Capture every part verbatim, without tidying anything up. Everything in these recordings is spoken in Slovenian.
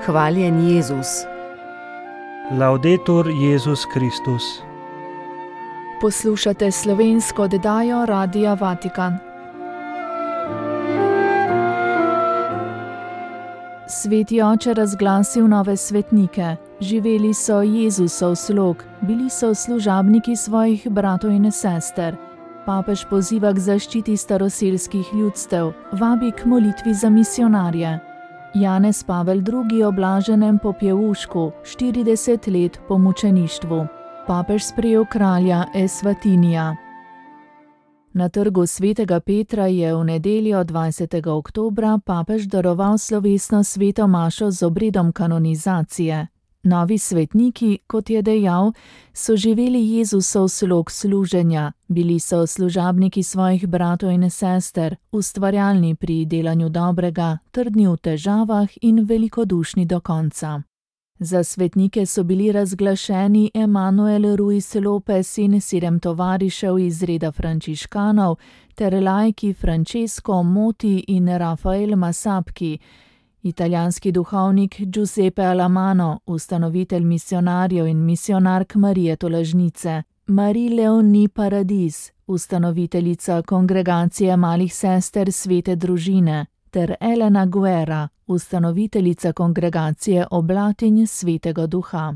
Hvaljen Jezus. Laudetur Jezus Kristus. Poslušate slovensko oddajo Radia Vatikan. Sveti oče razglasil nove svetnike. Živeli so Jezusov slog, bili so služabniki svojih bratov in sester. Papež poziva k zaščiti staroselskih ljudstev, vabi k molitvi za misijonarje. Janez Pavel drugi o blaženem popjevušku, štirideset let po mučeništvu. Papež sprejel kralja Esvatinija. Na trgu svetega Petra je v nedeljo dvajsetega oktobra papež daroval slovesno sveto mašo z obredom kanonizacije. Novi svetniki, kot je dejal, so živeli Jezusov slog služenja, bili so služabniki svojih bratov in sester, ustvarjalni pri delanju dobrega, trdni v težavah in velikodušni do konca. Za svetnike so bili razglašeni Emanuel Ruiz Lopez in sedem tovarišev iz reda frančiškanov ter laiki Francesco Moti in Rafael Masapki, italijanski duhovnik Giuseppe Alamano, ustanovitelj misijonarjev in misijonark Marije Tolažnice, Marie Leonie Paradis, ustanoviteljica kongregacije malih sester Svete družine, ter Elena Guerra, ustanoviteljica kongregacije Oblatinj Svetega Duha.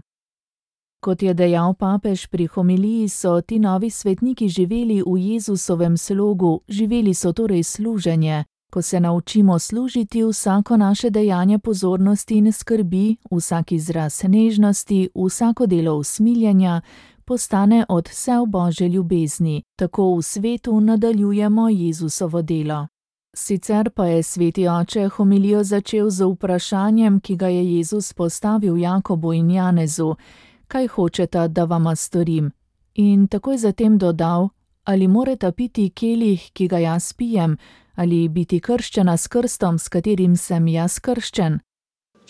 Kot je dejal papež pri homiliji, so ti novi svetniki živeli v Jezusovem slogu, živeli so torej služenje. Ko se naučimo služiti, vsako naše dejanje pozornosti in skrbi, vsak izraz nežnosti, vsako delo usmiljenja, postane od vse v Božje ljubezni. Tako v svetu nadaljujemo Jezusovo delo. Sicer pa je sveti oče homilijo začel z vprašanjem, ki ga je Jezus postavil Jakobu in Janezu: kaj hočeta, da vama storim? In takoj zatem dodal: ali moreta piti kelih, ki ga jaz pijem, ali biti krščena s krstom, s katerim sem jaz krščen?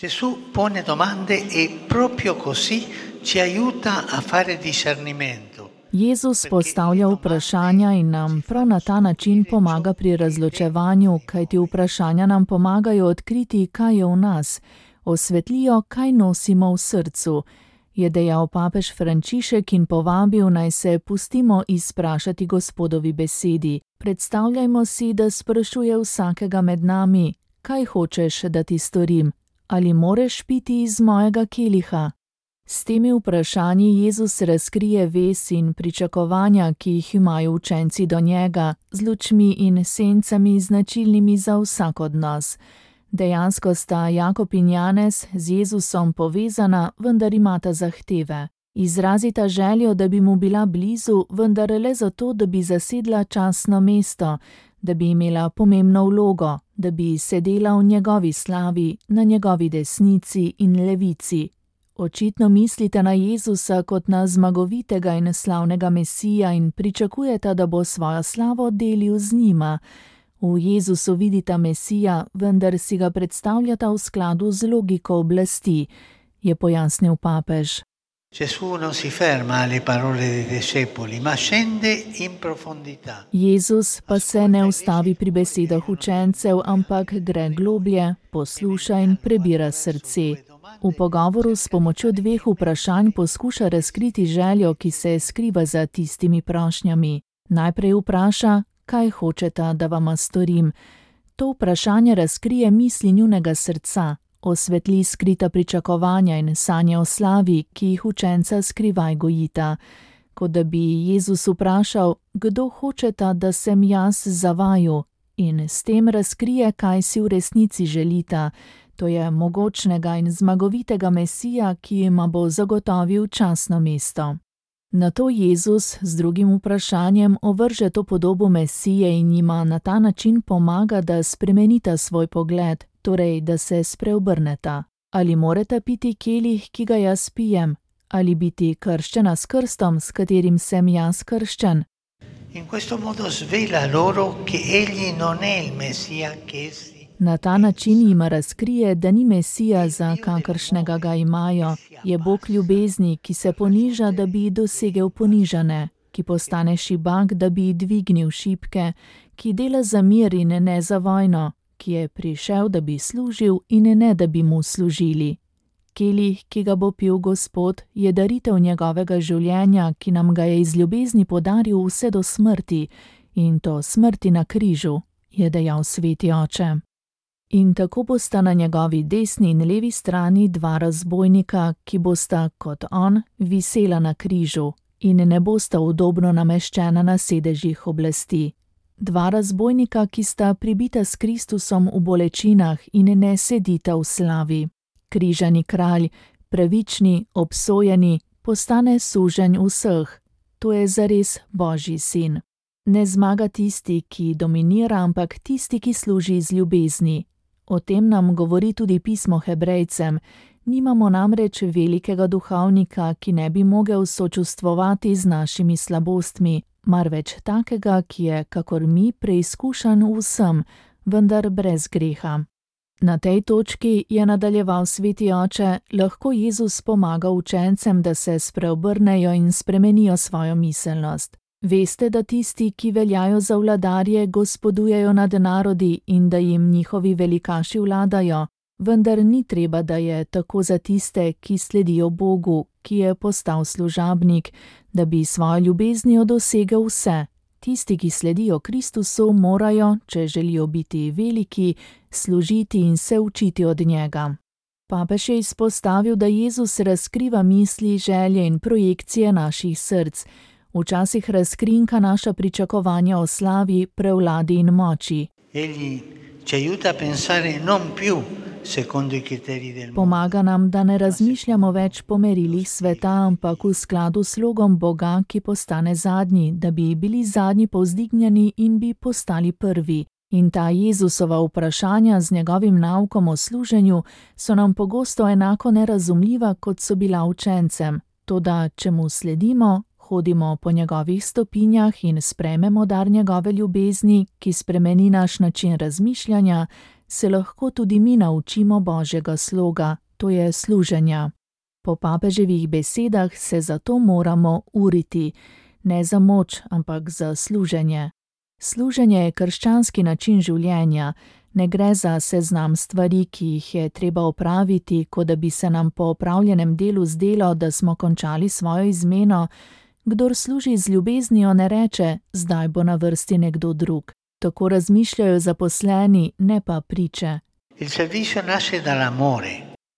Gesù pone domande e proprio così ci aiuta a fare discernimento. Jezus postavlja vprašanja in nam prav na ta način pomaga pri razločevanju, kajti vprašanja nam pomagajo odkriti, kaj je v nas, osvetlijo, kaj nosimo v srcu, je dejal papež Frančišek in povabil, naj se pustimo izprašati Gospodovi besedi. Predstavljajmo si, da sprašuje vsakega med nami: kaj hočeš, da ti storim? Ali moreš piti iz mojega keliha? S temi vprašanji Jezus razkrije vez in pričakovanja, ki jih imajo učenci do njega, z lučmi in sencami značilnimi za vsak od nas. Dejansko sta Jakob in Janez z Jezusom povezana, vendar imata zahteve. Izrazita željo, da bi mu bila blizu, vendar le zato, da bi zasedla častno mesto, da bi imela pomembno vlogo, da bi sedela v njegovi slavi, na njegovi desnici in levici. Očitno mislite na Jezusa kot na zmagovitega in slavnega Mesija in pričakujete, da bo svojo slavo delil z njima. V Jezusu vidita Mesija, vendar si ga predstavljata v skladu z logiko oblasti, je pojasnil papež. Gesù non si ferma alle parole dei discepoli, ma scende in profondità. Jezus pa se ne ustavi pri besedah učencev, ampak gre globlje, posluša in prebira srce. V pogovoru s pomočjo dveh vprašanj poskuša razkriti željo, ki se skriva za tistimi prošnjami. Najprej vpraša: kaj hočeta, da vama storim? To vprašanje razkrije misli njunega srca, osvetli skrita pričakovanja in sanje o slavi, ki jih učenca skrivaj gojita. Kot da bi Jezus vprašal: kdo hočeta, da sem jaz za vaju? In s tem razkrije, kaj si v resnici želita. To je mogočnega in zmagovitega Mesija, ki jima bo zagotovil častno mesto. Nato Jezus z drugim vprašanjem ovrže to podobo Mesije in jima na ta način pomaga, da spremenita svoj pogled, torej da se spreobrneta. Ali moreta piti kelih, ki ga jaz pijem? Ali biti krščena s krstom, s katerim sem jaz krščen? In questo modo svela loro che egli non è il Messia che essi. Na ta način jima razkrije, da ni Mesija, za kakršnega ga imajo. Je Bog ljubezni, ki se poniža, da bi dosegel ponižane, ki postane šibak, da bi dvignil šibke, ki dela za mir in ne za vojno, ki je prišel, da bi služil in ne, da bi mu služili. Kelih, ki ga bo pil Gospod, je daritev njegovega življenja, ki nam ga je iz ljubezni podaril vse do smrti, in to smrti na križu, je dejal sveti oče. In tako bosta na njegovi desni in levi strani dva razbojnika, ki bosta, kot on, visela na križu in ne bosta udobno nameščena na sedežih oblasti. Dva razbojnika, ki sta pribita s Kristusom v bolečinah in ne sedita v slavi. Križani kralj, pravični, obsojeni, postane suženj vseh. To je zares Božji sin. Ne zmaga tisti, ki dominira, ampak tisti, ki služi z ljubezni. O tem nam govori tudi pismo Hebrejcem. Nimamo namreč velikega duhovnika, ki ne bi mogel sočustvovati z našimi slabostmi, marveč takega, ki je, kakor mi, preizkušan vsem, vendar brez greha. Na tej točki, je nadaljeval sveti oče, lahko Jezus pomaga učencem, da se spreobrnejo in spremenijo svojo miselnost. Veste, da tisti, ki veljajo za vladarje, gospodujejo nad narodi in da jim njihovi velikaši vladajo, vendar ni treba, da je tako za tiste, ki sledijo Bogu, ki je postal služabnik, da bi svojo ljubeznijo dosegel vse. Tisti, ki sledijo Kristusu, morajo, če želijo biti veliki, služiti in se učiti od njega. Papež je izpostavil, da Jezus razkriva misli, želje in projekcije naših src. Včasih razkrinka naša pričakovanja o slavi, prevladi in moči. Pomaga nam, da ne razmišljamo več po merilih sveta, ampak v skladu s slogom Boga, ki postane zadnji, da bi bili zadnji povzdignjeni in bi postali prvi. In ta Jezusova vprašanja z njegovim naukom o služenju so nam pogosto enako nerazumljiva, kot so bila učencem. Toda, če mu sledimo, hodimo po njegovih stopinjah in sprejmemo dar njegove ljubezni, ki spremeni naš način razmišljanja, se lahko tudi mi naučimo Božjega sloga, to je služenja. Po papeževih besedah se zato moramo uriti, ne za moč, ampak za služenje. Služenje je krščanski način življenja, ne gre za seznam stvari, ki jih je treba opraviti, kot da bi se nam po opravljenem delu zdelo, da smo končali svojo izmeno. Kdor služi z ljubeznijo, ne reče, zdaj bo na vrsti nekdo drug. Tako razmišljajo zaposleni, ne pa priče.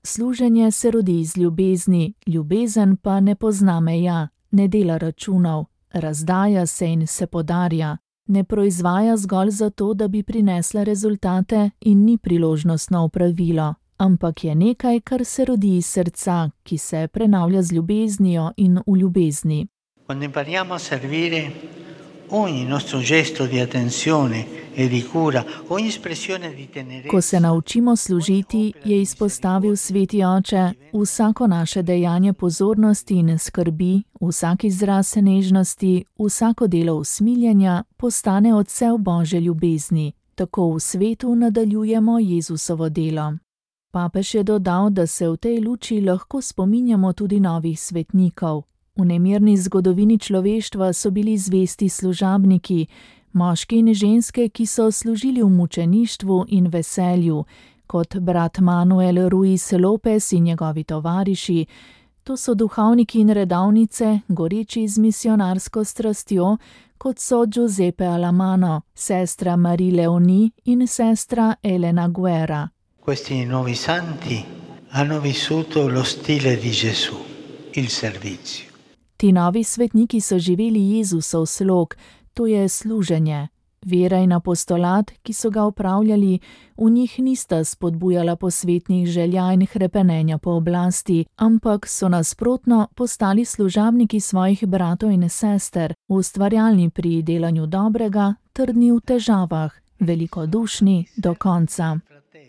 Služenje se rodi iz ljubezni, ljubezen pa ne pozna meja, ne dela računov, razdaja se in se podarja, ne proizvaja zgolj zato, da bi prinesla rezultate in ni priložnostno opravilo, ampak je nekaj, kar se rodi iz srca, ki se prenavlja z ljubeznijo in v ljubezni. Quando impariamo a servire, ogni nostro gesto di attenzione e di cura, ogni espressione di tenerezza. Ko se naučimo služiti, je izpostavil sveti oče, vsako naše dejanje pozornosti in skrbi, vsak izraz nežnosti, vsako delo usmiljenja postane odsev Božje ljubezni. Tako v svetu nadaljujemo Jezusovo delo. Papež je dodal, da se v tej luči lahko spominjamo tudi novih svetnikov. V nemirni zgodovini človeštva so bili zvesti služabniki, moški in ženske, ki so služili v mučeništvu in veselju, kot brat Manuel Ruiz Lopez in njegovi tovariši. To so duhovniki in redovnice, goreči z misionarsko strastjo, kot so Giuseppe Alamano, sestra Marie Leoni in sestra Elena Guerra. Questi nuovi santi hanno vissuto lo stile di Gesù, il servizio. Ti novi svetniki so živeli Jezusov slog, to je služenje. Vera in apostolat, ki so ga opravljali, v njih nista spodbujala posvetnih želja in hrepenenja po oblasti, ampak so nasprotno postali služabniki svojih bratov in sester, ustvarjalni pri delanju dobrega, trdni v težavah, velikodušni do konca.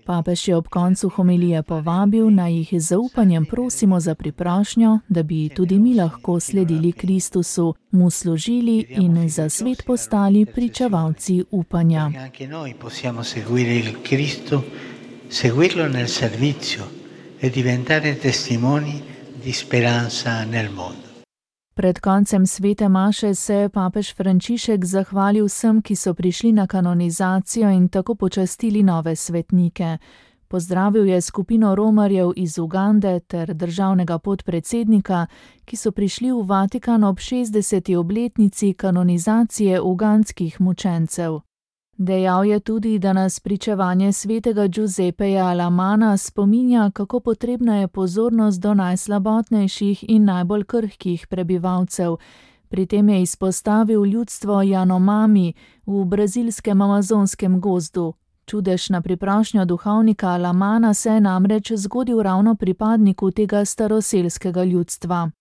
Papež je ob koncu homilije povabil, naj jih z zaupanjem prosimo za priprošnjo, da bi tudi mi lahko sledili Kristusu, mu služili in za svet postali pričevalci upanja. Anche noi possiamo seguire il Cristo, seguirlo nel servizio e diventare testimoni di speranza nel mondo. Pred koncem svete maše se je papež Frančišek zahvalil vsem, ki so prišli na kanonizacijo in tako počastili nove svetnike. Pozdravil je skupino romarjev iz Ugande ter državnega podpredsednika, ki so prišli v Vatikan ob šestdeseti obletnici kanonizacije ugandskih mučencev. Dejal je tudi, da nas pričevanje svetega Giuseppeja Alamana spominja, kako potrebna je pozornost do najslabotnejših in najbolj krhkih prebivalcev. Pri tem je izpostavil ljudstvo Janomami v brazilskem amazonskem gozdu. Čudež na priprošnjo duhovnika Alamana se je namreč zgodil ravno pripadniku tega staroselskega ljudstva.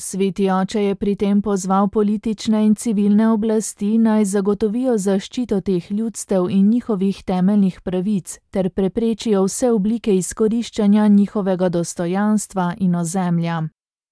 Sveti oče je pri tem pozval politične in civilne oblasti naj zagotovijo zaščito teh ljudstev in njihovih temeljnih pravic ter preprečijo vse oblike izkoriščanja njihovega dostojanstva in ozemlja.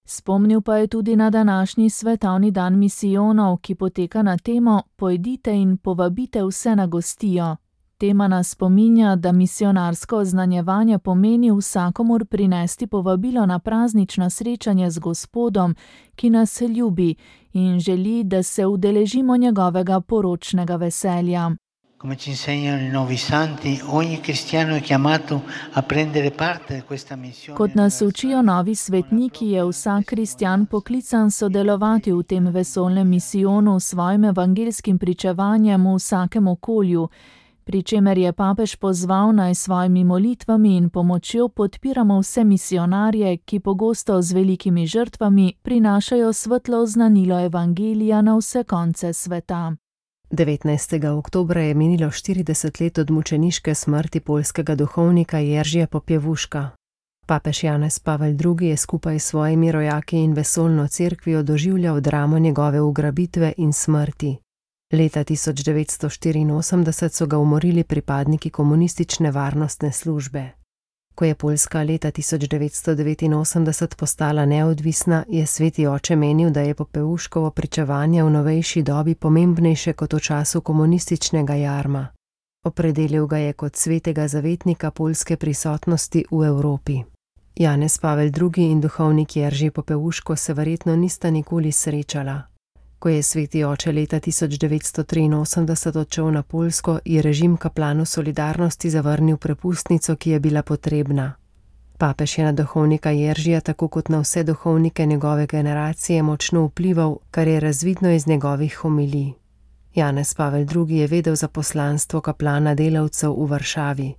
Spomnil pa je tudi na današnji svetovni dan misijonov, ki poteka na temo Pojdite in povabite vse na gostijo. Tema nas spominja, da misionarsko oznanjevanje pomeni vsakomur prinesti povabilo na praznično srečanje z Gospodom, ki nas ljubi in želi, da se udeležimo njegovega poročnega veselja. Come ci insegnano i nuovi santi, ogni cristiano è chiamato a prendere parte di questa missione. Kot nas učijo novi svetniki, je vsak kristjan poklican sodelovati v tem vesoljnem misijonu s svojim evangelskim pričevanjem v vsakem okolju, pri čemer je papež pozval naj s svojimi molitvami in pomočjo podpiramo vse misionarje, ki pogosto z velikimi žrtvami prinašajo svetlo oznanilo evangelija na vse konce sveta. devetnajstega oktobra je minilo štirideset let od mučeniške smrti poljskega duhovnika Jeržija Popievuška. Papež Janez Pavel drugi je skupaj s svojimi rojaki in vesoljno cerkvijo doživljal dramo njegove ugrabitve in smrti. Leta tisoč devetsto štiriinosemdeset so ga umorili pripadniki komunistične varnostne službe. Ko je Poljska leta tisoč devetsto devetinosemdeset postala neodvisna, je sveti oče menil, da je Popievuškovo pričevanje v novejši dobi pomembnejše kot v času komunističnega jarma. Opredelil ga je kot svetega zavetnika poljske prisotnosti v Evropi. Janez Pavel drugi in duhovnik Jerzy Popievuško se verjetno nista nikoli srečala. Ko je sveti oče leta tisoč devetsto triinosemdeset odšel na Poljsko, je režim kaplanu Solidarnosti zavrnil prepustnico, ki je bila potrebna. Papež je na duhovnika Jeržija, tako kot na vse duhovnike njegove generacije, močno vplival, kar je razvidno iz njegovih homilij. Janez Pavel drugi je vedel za poslanstvo kaplana delavcev v Varšavi.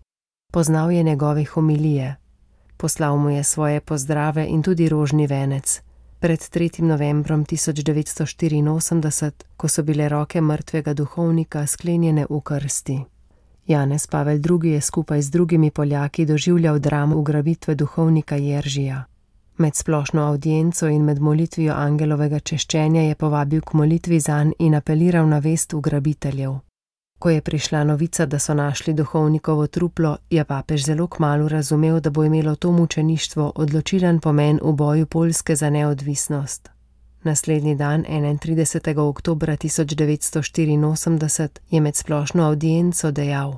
Poznal je njegove homilije. Poslal mu je svoje pozdrave in tudi rožni venec. Pred tretjim novembrom tisoč devetsto štiriinosemdeset, ko so bile roke mrtvega duhovnika sklenjene v krsti. Janez Pavel drugi je skupaj z drugimi Poljaki doživljal dramo ugrabitve duhovnika Jeržija. Med splošno avdienco in med molitvijo angelovega češčenja je povabil k molitvi zanj in apeliral na vest ugrabiteljev. Ko je prišla novica, da so našli duhovnikovo truplo, je papež zelo kmalu razumel, da bo imelo to mučeništvo odločilen pomen v boju Poljske za neodvisnost. Naslednji dan, enaintridesetega oktobra tisoč devetsto štiriinosemdeset, je med splošno avdienco dejal: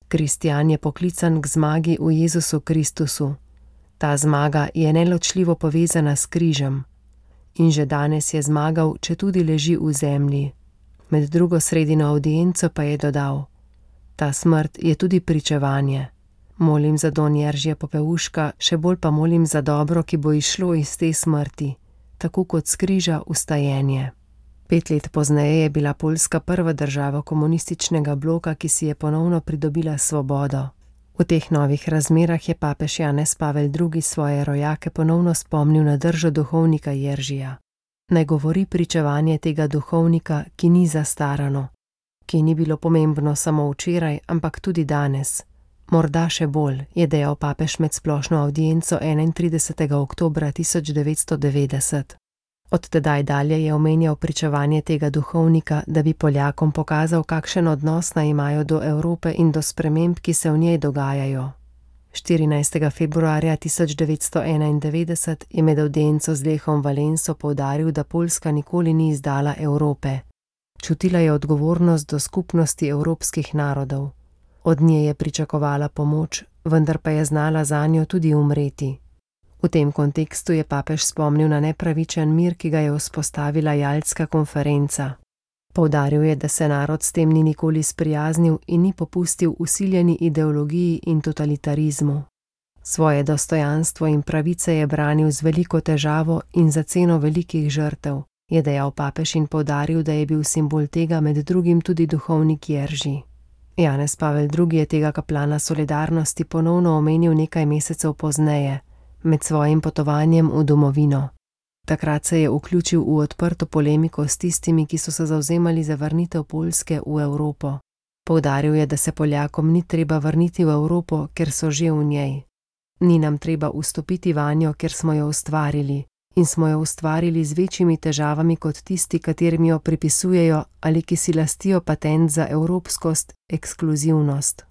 Kristjan je poklican k zmagi v Jezusu Kristusu. Ta zmaga je neločljivo povezana s križem. In že danes je zmagal, če tudi leži v zemlji. Med drugo sredino avdienco pa je dodal: Ta smrt je tudi pričevanje. Molim za don Jeržija Popievuška, še bolj pa molim za dobro, ki bo izšlo iz te smrti, tako kot s križa vstajenje. Pet let pozneje je bila Poljska prva država komunističnega bloka, ki si je ponovno pridobila svobodo. V teh novih razmerah je papež Janez Pavel drugi svoje rojake ponovno spomnil na držo duhovnika Jeržija. Naj govori pričevanje tega duhovnika, ki ni zastarano, ki ni bilo pomembno samo včeraj, ampak tudi danes. Morda še bolj, je dejal papež med splošno avdienco enaintridesetega oktobra tisoč devetsto devetdeset. Od tedaj dalje je omenjal pričevanje tega duhovnika, da bi Poljakom pokazal, kakšen odnos naj imajo do Evrope in do sprememb, ki se v njej dogajajo. štirinajstega februarja tisoč devetsto enaindevetdeset je med avdienco z Lechom Valenso poudaril, da Poljska nikoli ni izdala Evrope. Čutila je odgovornost do skupnosti evropskih narodov. Od nje je pričakovala pomoč, vendar pa je znala zanjo tudi umreti. V tem kontekstu je papež spomnil na nepravičen mir, ki ga je vzpostavila Jaltska konferenca. Poudaril je, da se narod s tem ni nikoli sprijaznil in ni popustil vsiljeni ideologiji in totalitarizmu. Svoje dostojanstvo in pravice je branil z veliko težavo in za ceno velikih žrtev, je dejal papež in poudaril, da je bil simbol tega med drugim tudi duhovnik Jerži. Janez Pavel drugi je tega kaplana solidarnosti ponovno omenil nekaj mesecev pozneje, med svojim potovanjem v domovino. Takrat se je vključil v odprto polemiko s tistimi, ki so se zavzemali za vrnitev Poljske v Evropo. Poudaril je, da se Poljakom ni treba vrniti v Evropo, ker so že v njej. Ni nam treba vstopiti vanjo, ker smo jo ustvarili, in smo jo ustvarili z večjimi težavami kot tisti, katerim jo pripisujejo ali ki si lastijo patent za evropskost, ekskluzivnost.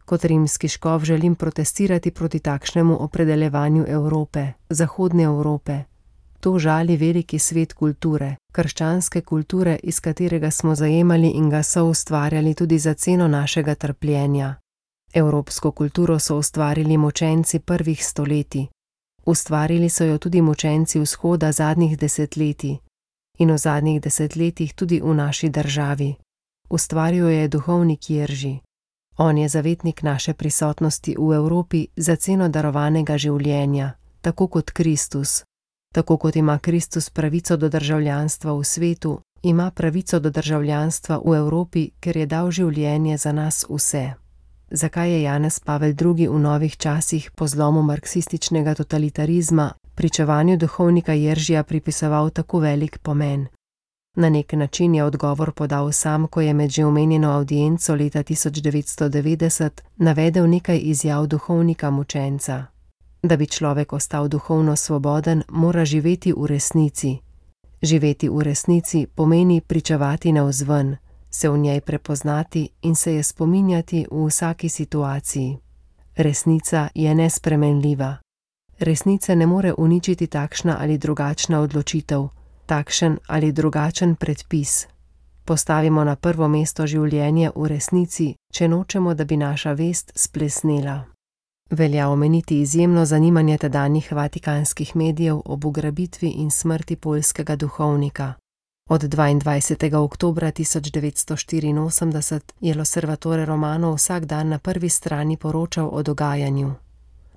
Kot rimski škof želim protestirati proti takšnemu opredeljevanju Evrope, zahodne Evrope. To žali veliki svet kulture, krščanske kulture, iz katerega smo zajemali in ga soustvarjali tudi za ceno našega trpljenja. Evropsko kulturo so ustvarili močenci prvih stoletij. Ustvarili so jo tudi močenci vzhoda zadnjih desetletij in v zadnjih desetletjih tudi v naši državi. Ustvaril je duhovnik Jerži. On je zavetnik naše prisotnosti v Evropi za ceno darovanega življenja, tako kot Kristus. Tako kot ima Kristus pravico do državljanstva v svetu, ima pravico do državljanstva v Evropi, ker je dal življenje za nas vse. Zakaj je Janez Pavel drugi v novih časih po zlomu marksističnega totalitarizma pričevanju duhovnika Jeržija pripisoval tako velik pomen? Na nek način je odgovor podal sam, ko je med že omenjeno avdienco leta tisoč devetsto devetdeset navedel nekaj izjav duhovnika mučenca. Da bi človek ostal duhovno svoboden, mora živeti v resnici. Živeti v resnici pomeni pričevati navzven, se v njej prepoznati in se je spominjati v vsaki situaciji. Resnica je nespremenljiva. Resnice ne more uničiti takšna ali drugačna odločitev, takšen ali drugačen predpis. Postavimo na prvo mesto življenje v resnici, če nočemo, da bi naša vest splesnela. Velja omeniti izjemno zanimanje tedanjih vatikanskih medijev ob ugrabitvi in smrti poljskega duhovnika. Od dvaindvajsetega oktobra tisoč devetsto štiriinosemdeset je L'Osservatore Romano vsak dan na prvi strani poročal o dogajanju.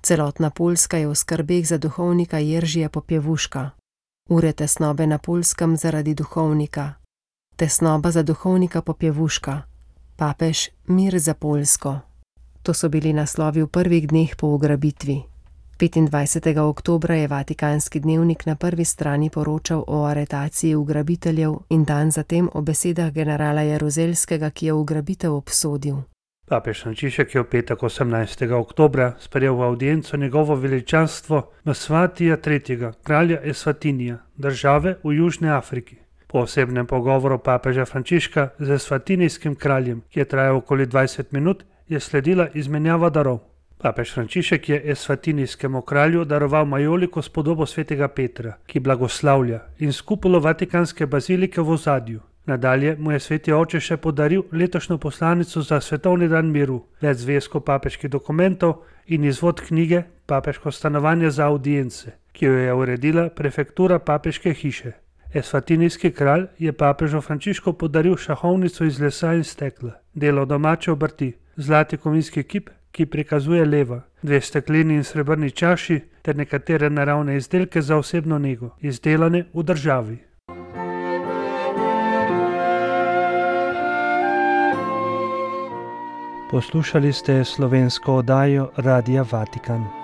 Celotna Poljska je v skrbeh za duhovnika Jeržija Popjevuška. Ure tesnobe na Poljskem zaradi duhovnika. Tesnoba za duhovnika Popjevuška. Papež, mir za Poljsko. To so bili naslovi v prvih dneh po ugrabitvi. petindvajsetega oktobra je Vatikanski dnevnik na prvi strani poročal o aretaciji ugrabiteljev in dan zatem o besedah generala Jaruzelskega, ki je ugrabitev obsodil. Papež Frančišek je v petek osemnajstega oktobra sprejel v avdienco njegovo veličanstvo Msvatija tretjega, kralja Eswatinija, države v Južni Afriki. Po osebnem pogovoru papeža Frančiška z eswatinijskim kraljem, ki je trajal okoli dvajset minut, je sledila izmenjava darov. Papež Frančišek je eswatinijskemu kralju daroval majoliko s podobo svetega Petra, ki blagoslavlja, in skupulo Vatikanske bazilike v ozadju. Nadalje mu je sveti oče še podaril letošnjo poslanico za svetovni dan miru, več zvezkov papeških dokumentov in izvod knjige Papeško stanovanje za audience, ki jo je uredila prefektura papeške hiše. Eswatinijski kralj je papežu Frančišku podaril šahovnico iz lesa in stekla, delo domače obrti, zlati kovinski kip, ki prikazuje leva, dve stekleni in srebrni čaši ter nekatere naravne izdelke za osebno nego, izdelane v državi. Poslušali ste slovensko oddajo Radia Vatikan.